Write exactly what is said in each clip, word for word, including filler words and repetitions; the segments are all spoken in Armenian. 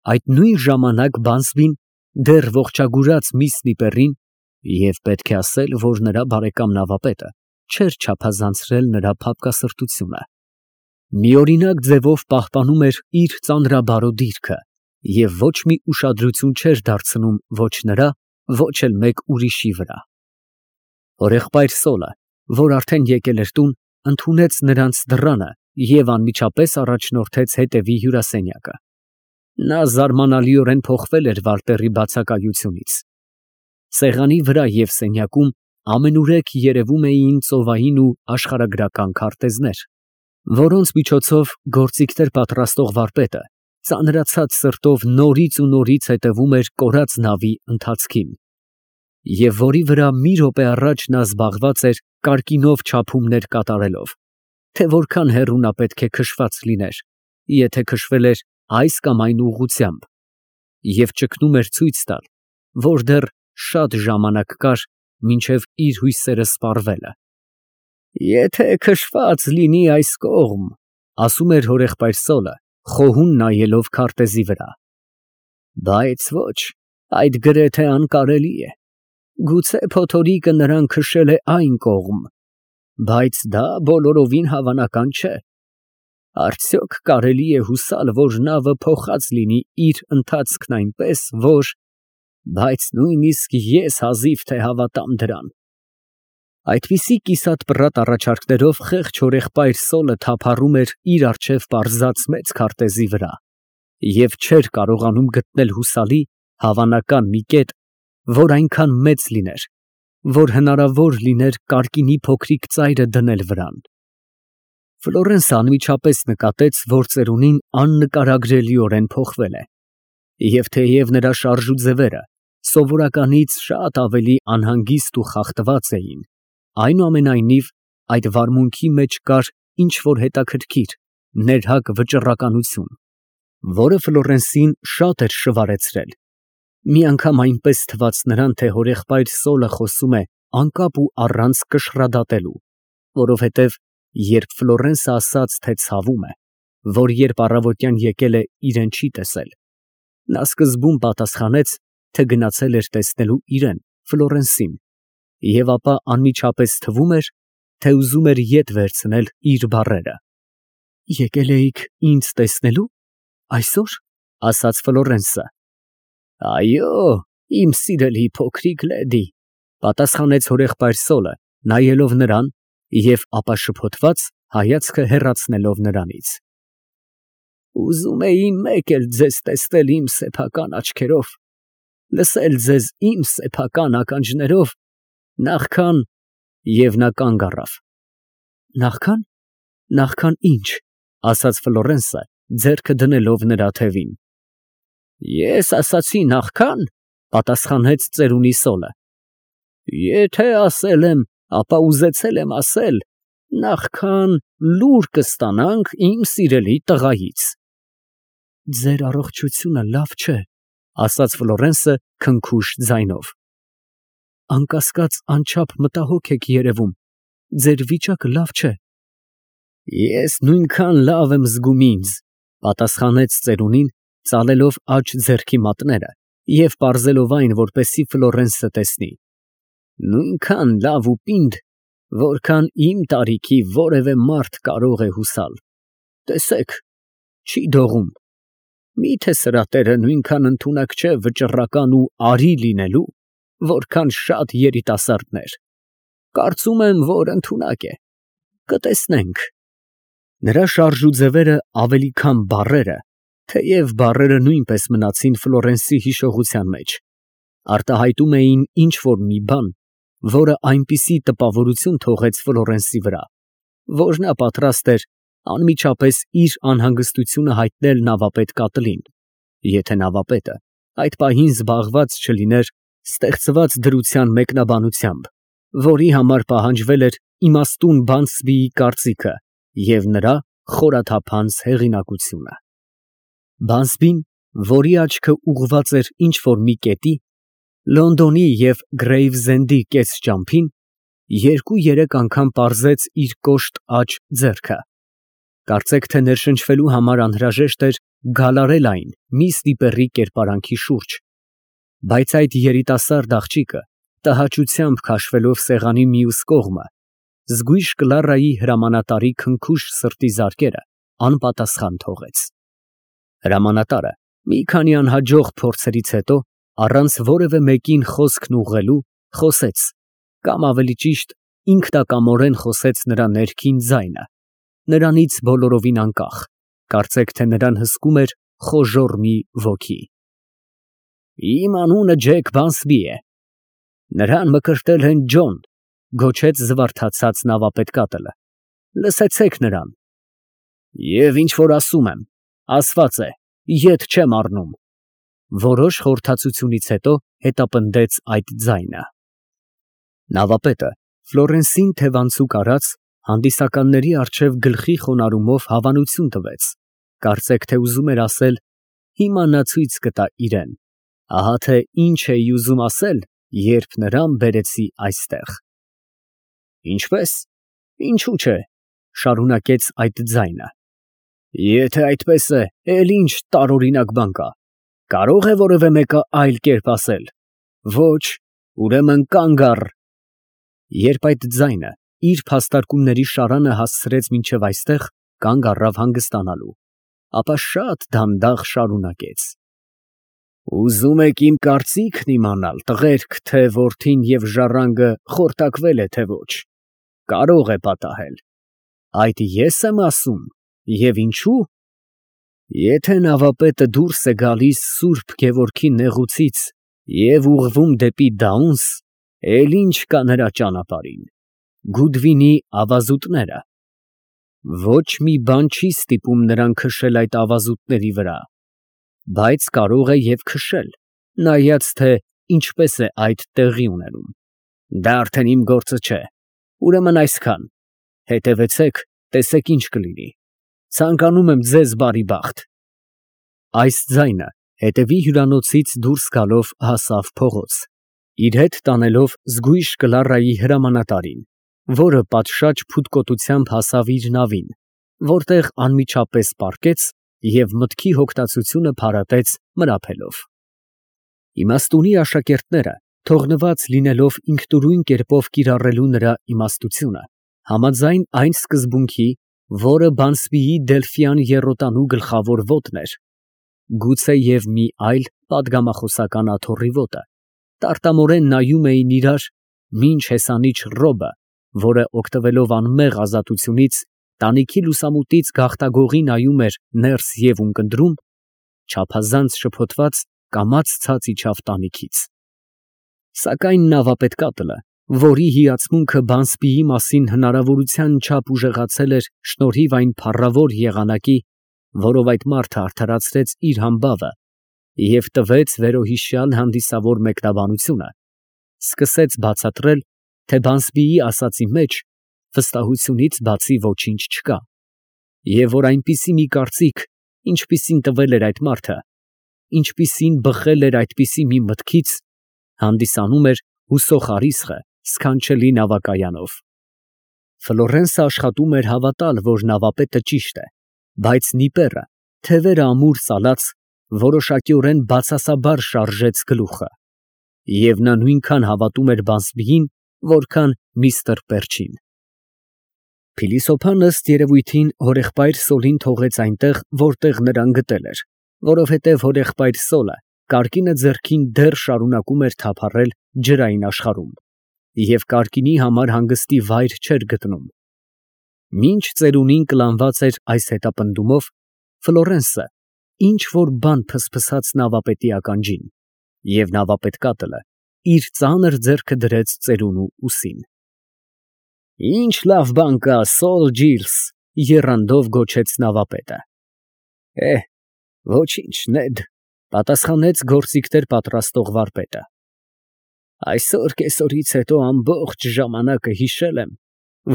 Այդ նույն ժամանակ Բանսբին դեռ ողջագուրած միss Նիպերին (և պետք է ասել, որ նրա բարեկամ նավապետը չէր չափազանցրել նրա փափկասրտությունը) միօրինակ ձևով պահպանում էր իր ծանրաբարո դիրքը և ոչ մի ուշադրություն չէր դարձնում ոչ նրա, ոչ էլ մեկ ուրիշի վրա։ Հորեղբայր Սոլը, որ արդեն եկել էր տուն, ընդունեց նրանց դռանը և անմիջապես առաջնորդեց հետևի հյուրասենյակը։ Նա զարմանալիորեն փոխվել էր Վալտերի բացակայությունից։ Սեղանի վրա և սենյակում ամենուրեք երևում էին ծովային ու աշխարհագրական քարտեզներ, որոնց միջոցով գործիքներ պատրաստող վարպետը ծանրացած սրտով նորից ու նորից հետևում էր կորած նավի ընթացքին, և որի վրա մի րոպե առաջ նա զբաղված էր կարկինով չափումներ կատարելով, թե որքան հեռու նա պետք է քշված լիներ, եթե քշվել էր այս կամ այն ուղղությամբ, և ճգնում էր ցույց տալ, որ դեռ շատ ժամանակ կար մինչև իր հույսերը սպառվելը։ «Եթե քշված լինի այս կողմ, ֊ ասում էր հորեղբայր Սոլը, խոհուն նայելով քարտեզի վրա, ֊ բայց ոչ, այդ գրեթե անկարելի է, գուցե փոթորիկը նրան քշել է այն կողմ, բայց դա բոլորովին հավանական չէ։ Արդյոք կարելի է հուսալ, որ նավը փոխած լինի իր ընթացքն այնպես, որ… բայց նույնիսկ ես հազիվ թե հավատամ դրան»։ Այդպիսի կիսատ֊պռատ առաջարկներով խեղճ հորեղբայր Սոլը թափառում էր իր առջև պարզած մեծ քարտեզի վրա և չէր կարողանում գտնել հուսալի, հավանական մի կետ, որ այնքան մեծ լիներ, որ հնարավոր լիներ կարկինի փոքրիկ ծայրը դնել վրան։ Ֆլորենսը անմիջապես նկատեց, որ ծերունին աննկարագրելիորեն փոխվել է, և թեև նրա շարժուձևերը սովորականից շատ ավելի անհանգիստ ու խախտված էին, այնուամենայնիվ այդ վարմունքի մեջ կար ինչ֊որ հետաքրքիր, ներհակ վճռականություն, որը Ֆլորենսին շատ էր շվարեցրել։ Մի անգամ այնպես թվաց նրան, թե հորեղբայր Սոլը խոսում է անկապ ու առանց կշռադատելու, որովհետև երբ Ֆլորենսը ասաց, թե ցավում է, որ երբ առավոտյան եկել է, իրեն չի տեսել, նա սկզբում պատասխանեց, թե գնացել էր տեսնելու իրան, Ֆլորենսին, և ապա անմիջապես թվում էր, թե ուզում էր ետ վերցնել իր բառերը։ «Եկել էիք ինձ տեսնելու… այսօ՞ր», ֊ ասաց Ֆլորենսը։ «Այո, իմ սիրելի փոքրիկ լեդի», ֊ պատասխանեց հորեղբայր Սոլը, նայելով նրան և ապա շփոթված հայացքը հեռացնելով նրանից։ «Ուզում էի մեկ էլ ձեզ տեսնել իմ սեփական աչքերով, լսել ձեզ իմ սեփական ականջներով, նախքան…» և նա կանգ առավ։ «Նախքա՞ն… նախքան ի՞նչ», ֊ ասաց Ֆլորենսը, ձեռքը դնելով նրա թևին։ «Ես ասացի նախքա՞ն», ֊ պատասխանեց ծերունի Սոլը։ «Եթե ասել եմ, ապա ուզեցել եմ ասել, նախքան լուր կստանանք իմ սիրելի տղայից»։ «Ձեր առողջությունը լավ չէ», ֊ ասաց Ֆլորենսը քնքուշ ձայնով։ «Անկասկած, անչափ մտահոգ եք երևում, ձեր վիճակը լավ չէ»։ «Ես նույնքան լավ եմ զգում ինձ», ֊ պատասխանեց ծերունին, ծալելով աջ ձեռքի մատները և պարզելով այն, որպեսզի Ֆլորենսը տեսնի, «նույնքան լավ ու պինդ, որքան իմ տարիքի որևէ մարդ կարող է հուսալ։ Տեսեք, չի դողում։ Մի՞թե սրատերը նույնքան ընդունակ չէ վճռական ու արի լինելու, որքան շատ երիտասարդներ։ Կարծում եմ, որ ընդունակ է, կտեսնենք»։ Նրա շարժուձևերը ավելի քան բառերը, թեև բառերը նույնպես մնացին Ֆլորենսի հիշողության մեջ, արտահայտում էին ինչ֊որ մի բան, որը այնպիսի տպավորություն թողեց Ֆլորենսի վրա, որ նա պատրաստ էր անմիջապես իր անհանգստությունը հայտնել նավապետ Կատլին, եթե նավապետը այդ պահին զբաղված չլիներ ստեղծված դրության մեկնաբանությամբ, որի համար պահանջվել էր իմաստուն Բանսբիի կարծիքը և նրա խորաթափանց հեղինակությունը։ Բանսբին, որի աչքը ուղղված էր ինչ֊որ մի կետի, Լոնդոնի և Գրեյվզենդի կեսճամփին, երկու֊երեք անգամ պարզեց իր կոշտ աջ ձեռքը, Կարծեք թե ներշնչվելու համար անհրաժեշտ էր գալարել այն մի ստիպեռի կերպարանքի շուրջ, բայց այդ երիտասարդ աղջիկը տհաճությամբ քաշվելով սեղանի մյուս կողմը, զգույշ Կլարայի հրամանատարի քնքուշ սրտի զարկերը անպատասխան թողեց։ Հրամանատարը մի քանի անհաջող փորձերից հետո, առանց որևէ մեկին խոսքն ուղղելու, խոսեց, կամ ավելի ճիշտ, ինքնակամորեն խոսեց նրա ներքին ձայնը, նրանից բոլորովին անկախ, կարծեք թե նրան հսկում էր խոժոռ մի ոգի։ Իմ անունը Ջեք Բանսբի է, նրան մկրտել են Ջոն, գոչեց զվարթացած նավապետկատելը, լսեցեք նրան։ Եվ ինչ որ ասում եմ, ասված է, ետ չեմ առնում, որոշ խորհրդածությունից հետո հետապնդեց այդ ձայնը։ Նավապետը Ֆլորենսին թևանցուկ արած, հանդիսականների առջև գլխի խոնարհումով հավանություն տվեց, կարծեք թե ուզում էր ասել, հիմա նա ցույց կտա իրեն, ահա թե ինչ էի ուզում ասել, երբ նրան բերեցի այստեղ։ Ինչպես, ինչու՞ չէ, շարունակեց այդ ձայնը։ Եթե այդպես է, էլ ինչ տարօրինակ բան կա, կարող է որևէ մեկը այլ կերպ ասել։ Ոչ, ուրեմն կանգ առ։ Երբ այդ ձայնը իր փաստարկումների շարանը հասցրեց մինչև այստեղ, կանգ առավ հանգստանալու, ապա շատ դանդաղ շարունակեց. Ուզում եք իմ կարծիքն իմանալ, տղերք, թե որդին և ժառանգը խորտակվել է, թե ոչ, կարող է պատահել։ Այդ ես եմ ասում, և ինչու՞։ Եթե նավապետը դուրս է գալիս Սուրբ Գևորգի նեղուցից և ուղղվում դեպի Դաունս, էլ ինչ կա նրա ճանապարհին, Գուդվինի ավազուտները։ Ոչ մի բան չի ստիպում նրան քշել այդ ավազուտների վրա, բայց կարող է և քշել, նայած թե ինչպես է այդ տեղի ունենում։ Դա արդեն իմ գործը չէ, ուրեմն այսքան, հետևեցեք, տեսեք ինչ կլինի, ցանկանում եմ ձեզ բարի բախտ։ Այս ձայնը հետևի հյուրանոցից դուրս գալով հասավ փողոց, իր հետ տանելով զգույշ Կլարայի հրամանատարին, որը պատշաճ փութկոտությամբ հասավ իր նավին, որտեղ անմիջապես պառկեց և մտքի հոգնածությունը փարատեց մրափելով։ Իմաստունի աշակերտները, թողնված լինելով ինքնուրույն կերպով կիրառելու նրա իմաստությունը, համաձայն այն սկզբունքի, որը Բանսբիի Դելֆյան եռոտանու գլխավոր ոտն էր, գուցե և մի այլ պատգամախոսական աթոռի ոտը, տարտամորեն նայում էին իրար, մինչ հեսանիչ Ռոբը, որը օգտվելով անմեղ ազատությունից, տանիքի լուսամուտից գաղտագողի նայում էր ներս և ունկնդրում, չափազանց շփոթված կամաց ցած իջավ տանիքից։ Սակայն նավապետկատելը, որի հիացմունքը Բանսբիի մասին հնարավորության չափ ուժեղացել էր շնորհիվ այն փառավոր եղանակի, որով այդ մարդը արդարացրեց իր համբավը և տվեց վերոհիշյալ հանդիսավոր մեկնաբանությունը, սկսեց բացատրել, թե Բանսբիի ասածի մեջ վստահությունից բացի ոչինչ չկա, և որ այնպիսի մի կարծիք, ինչպիսին տվել էր այդ մարդը, ինչպիսին բխել էր այդպիսի մի մտքից, հանդիսանում էր հուսող առիթը սքանչելի նավակայանով։ Ֆլորենսը աշխատում էր հավատալ, որ նավապետը ճիշտ է, բայց Նիպերը, թևերը ամուր սալած, որոշակիորեն բացասաբար շարժեց գլուխը, և նա նույնքան հավատում էր Բանսբիին, որքան միստր Պերչին։ Փիլիսոփան ըստ երևույթին հորեղբայր Սոլին թողեց այնտեղ, որտեղ նրան գտել էր, որովհետև հորեղբայր Սոլը կարկինը ձեռքին դեռ շարունակում էր թափառել ջրային աշխարհում, և կարկինի համար հանգստի վայր չէր գտնում։ Մինչ ծերունին կլանված էր այս հետապնդումով, Ֆլորենսը ինչ որ բան փսփսաց նավապետի ականջին, և նավապետկատելը իր ծանր ձեռքը դրեց ծերունու ուսին։ Ինչ լավ բան կա, Սոլ Ջիլս, եռանդով գոչեց նավապետը։ Էհ, ոչինչ, Նեդ, պատասխանեց գործիքներ պատրաստող վարպետը։ Այսօր կեսօրից հետո ամբողջ ժամանակը հիշել եմ,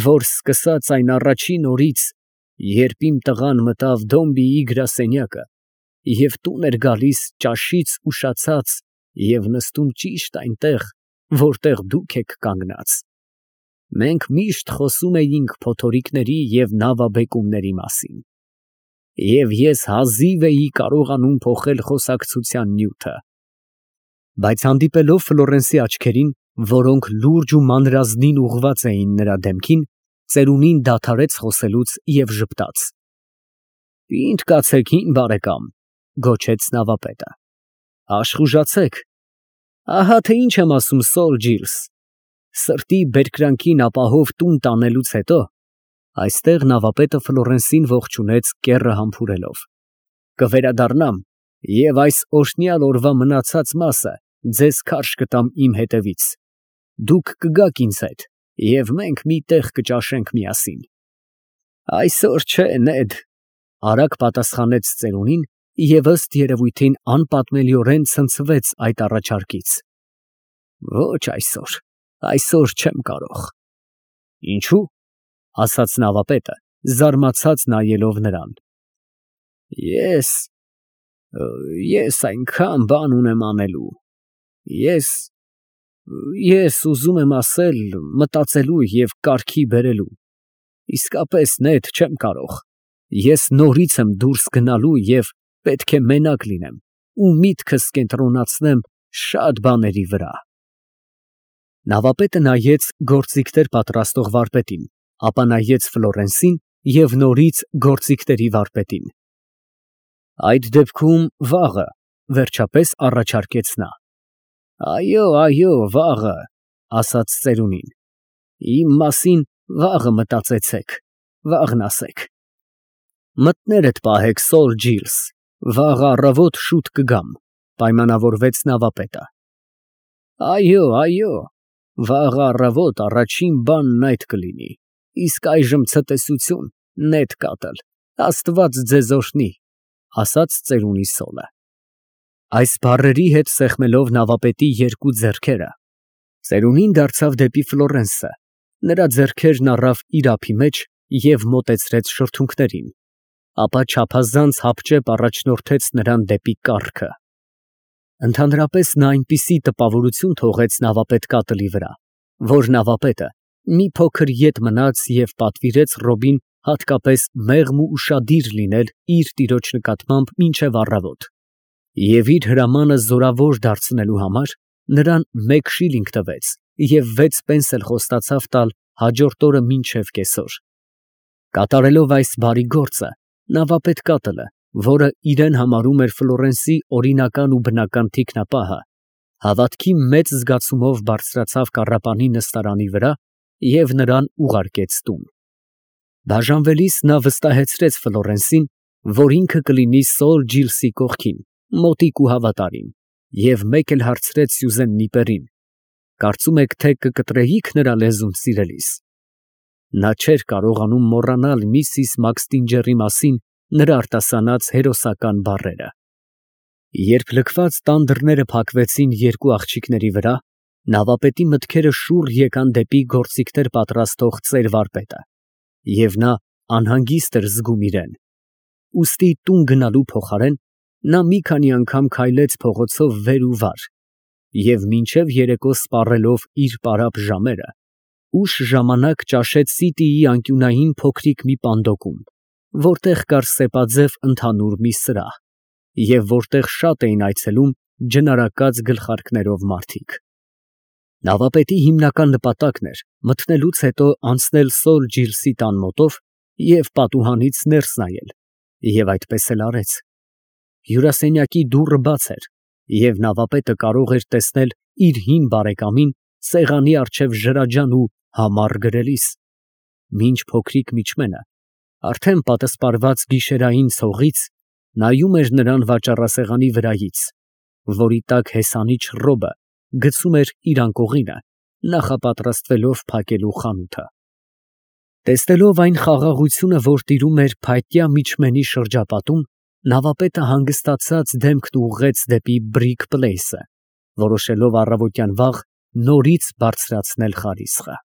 որ սկսած այն առաջին օրից, երբ իմ տղան մտավ Դոմբիի գրասենյակը և տուն էր գալիս ճաշից ուշացած և նստում ճիշտ այնտեղ, որտեղ դուք եք կանգնած, Մենք միշտ խոսում էինք փոթորիկների և նավաբեկումների մասին, և ես հազիվ էի կարողանում փոխել խոսակցության նյութը, բայց հանդիպելով Ֆլորենսի աչքերին, որոնք լուրջ ու մանրազնին ուղղված էին նրա դեմքին, ծերունին դադարեց խոսելուց և ժպտաց։ «Պինդ կացեք, հին բարեկամ», գոչեց նավապետը, աշխուժացեք, ահա թե ինչ եմ ասում Սոր Ջիլս, սրտի բերկրանքին ապահով տուն տանելուց հետո (այստեղ նավապետը Ֆլորենսին ողջունեց կեռը համբուրելով) կվերադառնամ և այս օրհնյալ օրվա մնացած մասը ձեզ քարշ կտամ իմ հետևից, դուք կգաք ինձ հետ և մենք մի տեղ կճաշենք միասին։ Այսօր չէ, Նեդ, արագ պատասխանեց ծերունին և ըստ երևույթին անպատմելիորեն ցնցվեց այդ առաջարկից։ Ոչ այսօր, այսօր չեմ կարող։ Ինչո՞ւ, ասաց նավապետը, զարմացած նայելով նրան։ Ես… ես այնքան բան ունեմ անելու, ես… ես ուզում եմ ասել, մտածելու և կարգի բերելու, իսկապես, Նեդ, չեմ կարող, ես նորից եմ դուրս գնալու և պետք է մենակ լինեմ ու միտքս կենտրոնացնեմ շատ բաների վրա։ Նավապետը նայեց գործիքներ պատրաստող վարպետին, ապա նայեց Ֆլորենսին և նորից գործիքների վարպետին։ Այդ դեպքում վաղը, վերջապես առաջարկեց նա։ Այո, այո, վաղը, ասաց ծերունին, իմ մասին վաղը մտածեցեք, վաղն ասեք։ Մտներդ պահեք, Սոր Ջիլս, վաղը առավոտ շուտ կգամ, պայմանավորվեց նավապետը։ Այո, այո, վաղը առավոտ առաջին բանն այդ կլինի, իսկ այժմ ցտեսություն, նետ կատլ, Աստված ձեզ օրհնի, ասաց ծերունի սոլը։ Այս բառերի հետ սեղմելով նավապետի երկու ձեռքերը, ծերունին դարձավ դեպի Ֆլորենսը, նրա ձեռքերն առավ իր ափի մեջ և մոտեցրեց շրթունքներին, ապա չափազանց հապճեպ առաջնորդեց նրան դեպի կառքը։ Ընդհանրապես նա այնպիսի տպավորություն թողեց նավապետ կատլի վրա, որ նավապետը մի փոքր ետ մնաց և պատվիրեց Ռոբին հատկապես մեղմ ու ուշադիր լինել իր տիրոջ նկատմամբ մինչև առավոտ, և իր հրամանը զորավոր դարձնելու համար նրան մեկ շիլինգ տվեց և վեց պենս էլ խոստացավ տալ հաջորդ օրը մինչև կեսօր։ Կատարելով այս բարի գործը, նավապետ կատլը, որը իրեն համարում էր Ֆլորենսի օրինական ու բնական թիկնապահը, հավատքի մեծ զգացումով բարձրացավ կառապանի նստարանի վրա և նրան ուղարկեց տուն։ Բաժանվելիս նա վստահեցրեց Ֆլորենսին, որ ինքը կլինի Սոր Ջիլսի կողքին, մոտիկ ու հավատարիմ, և մեկ էլ հարցրեց Սյուզեն Նիպերին. կարծում եք, թե կկտրեիք նրա լեզուն սիրելիս։ Նա չէր կարողանում մոռանալ միսիս Մաքսթինջերի մասին նրա արտասանած հերոսական բառերը։ Երբ լքված տան դռները փակվեցին երկու աղջիկների վրա, նավապետի մտքերը շուռ եկան դեպի գործիքներ պատրաստող ծեր֊վարպետը, և նա անհանգիստ էր զգում իրեն։ Ուստի տուն գնալու փոխարեն նա մի քանի անգամ քայլեց փողոցով վեր ու վար և մինչև երեկո սպառելով իր պարապ ժամերը, ուշ ժամանակ ճաշեց Սիտիի անկյունային փոքրիկ մի պանդոկում, որտեղ կար սեպաձև ընդհանուր մի սրահ, և որտեղ շատ էին այցելում ջնարակած գլխարկներով մարդիկ։ Նավապետի հիմնական նպատակն էր մտնելուց հետո անցնել Սոր Ջիլսի տան մոտով և պատուհանից ներս նայել, և այդպես էլ արեց։ Հյուրասենյակի դուռը բաց էր, և նավապետը կարող էր տեսնել իր հին բարեկամին սեղանի առջև ջրաջան ու համառ գրելիս, մինչ փոքրիկ միջմենը, արդեն պատսպարված գիշերային ցողից, նայում էր նրան վաճառասեղանի վրայից, որի տակ հեսանիչ Ռոբը գցում էր իր անկողինը, նախապատրաստվելով փակելու խանութը։ Տեսնելով այն խաղաղությունը, որ տիրում էր փայտյա միջմենի շրջապատում, նավապետը հանգստացած դեմքն ուղղեց դեպի Բրիկ Պլեյսը, որոշելով առավոտյան վաղ նորից բարձրացնել խարիսխը։